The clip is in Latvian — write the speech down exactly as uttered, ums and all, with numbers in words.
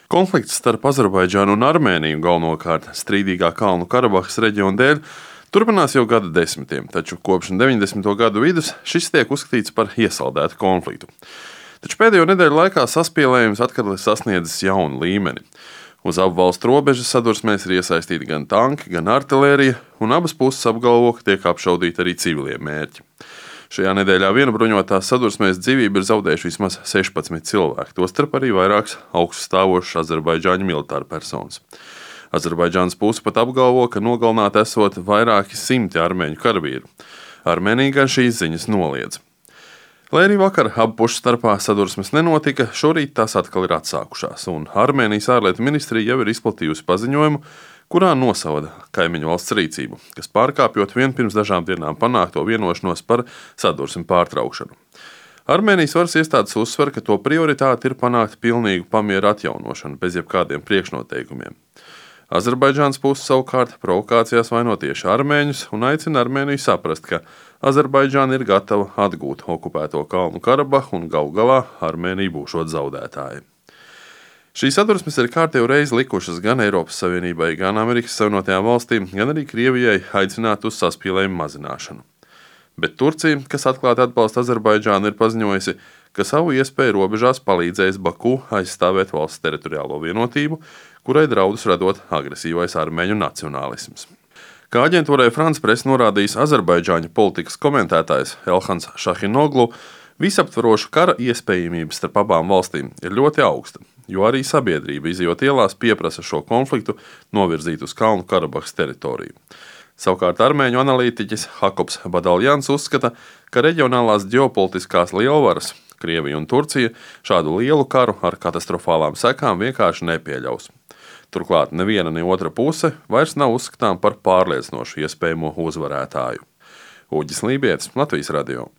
Konflikts starp Azerbaidžānu un Armēniju, galvenokārt strīdīgā Kalnu Karabahas reģiona dēļ, turpinās jau gadu desmitiem, taču kopš deviņdesmito gadu vidus šis tiek uzskatīts par iesaldētu konfliktu. Taču pēdējo nedēļu laikā saspīlējums atkal ir sasniedzis jaunu līmeni. Uz abu valstu robežas sadursmēs ir iesaistīti gan tanki, gan artilērija, un abas puses apgalvo, ka tiek apšaudīti arī civilie mērķi. Šajā nedēļā viena bruņotās sadursmēs dzīvību ir zaudējuši vismaz sešpadsmit cilvēki, tostarp arī vairākas augststāvošas Azerbaidžāņu militāra personas. Azerbaidžānas puse pat apgalvo, ka nogalināti esot vairāki simti armēņu karavīru. Armēnija gan šīs ziņas noliedz. Lai arī vakar abu pušu starpā sadursmes nenotika, šorīt tās atkal ir atsākušās, un Armēnijas ārlietu ministrija jau ir izplatījusi paziņojumu, kurā nosauda kaimiņu valsts rīcību, kas pārkāpjot vien pirms dažām dienām panākto vienošanos par sadursmi pārtraukšanu. Armēnijas varas iestādes uzsver, ka to prioritāte ir panākt pilnīgu pamieru atjaunošanu bez jebkādiem priekšnoteikumiem. Azerbaidžānas puse savukārt provokācijās vaino tieši armēņus un aicina Armēniju saprast, ka Azerbaidžāna ir gatava atgūt okupēto Kalnu Karabahu un galu galā Armēnija būšot zaudētāji. Šīs sadursmes ir kārtējo reizi likušas gan Eiropas Savienībai, gan Amerikas Savienotajām valstīm, gan arī Krievijai aicināt uz saspīlējumu mazināšanu. Bet Turcija, kas atklāti atbalsta Azerbaidžānu, ir paziņojusi, ka savu iespēju robežās palīdzēs Baku aizstāvēt valsts teritoriālo vienotību, kurai draudus radot agresīvais armēņu nacionālisms. Kā aģentūrai France Press norādījis Azerbaidžāņu politikas komentētājs Elhans Šahinoglu, visaptvaroša kara iespējamība starp abām valstīm ir ļoti augsta, jo arī sabiedrība izjot ielās pieprasa šo konfliktu novirzīt uz Kalnu Karabahas teritoriju. Savukārt armēņu analītiķis Hakobs Badaljans uzskata, ka reģionālās ģeopolitiskās lielvaras Krievija un Turcija šādu lielu karu ar katastrofālām sekām vienkārši nepieļaus. Turklāt neviena ne otra puse vairs nav uzskatām par pārliecinošu iespējamo uzvarētāju. Uģis Lībietis, Latvijas radio.